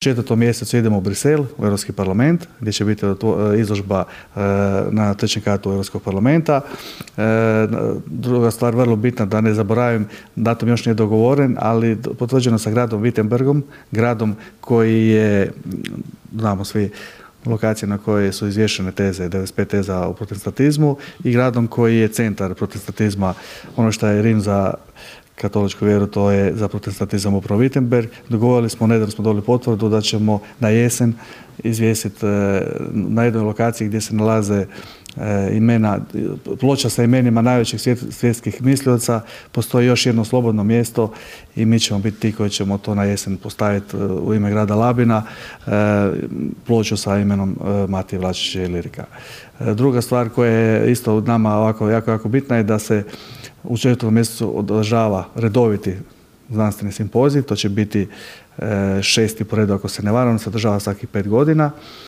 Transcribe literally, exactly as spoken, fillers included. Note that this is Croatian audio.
četvrtom mjesecu idemo u Brisel, u Europski parlament, gdje će biti izložba na trećem katu Europskog parlamenta. Druga stvar, vrlo bitna, da ne zaboravim, datum još nije dogovoren, ali potvrđeno sa gradom Wittenbergom, gradom koji je, znamo svi, lokacije na kojoj su izvješene teze, devedeset pet teza o protestantizmu, i gradom koji je centar protestantizma, ono što je Rim za katoličku vjeru, to je za protestantizam upravo Wittenberg. Dogovorili smo, nedavno smo dobili potvrdu da ćemo na jesen izvijestiti na jednoj lokaciji gdje se nalaze imena, ploča sa imenima najvećih svjetskih mislioca, postoji još jedno slobodno mjesto i mi ćemo biti ti koji ćemo to na jesen postaviti u ime grada Labina, ploču sa imenom Matije Vlačića Ilirika. Druga stvar koja je isto nama ovako jako, jako bitna je da se u četvrtom mjesecu održava redoviti znanstveni simpozij, to će biti šesti po redu ako se ne varam, se održava svakih pet godina.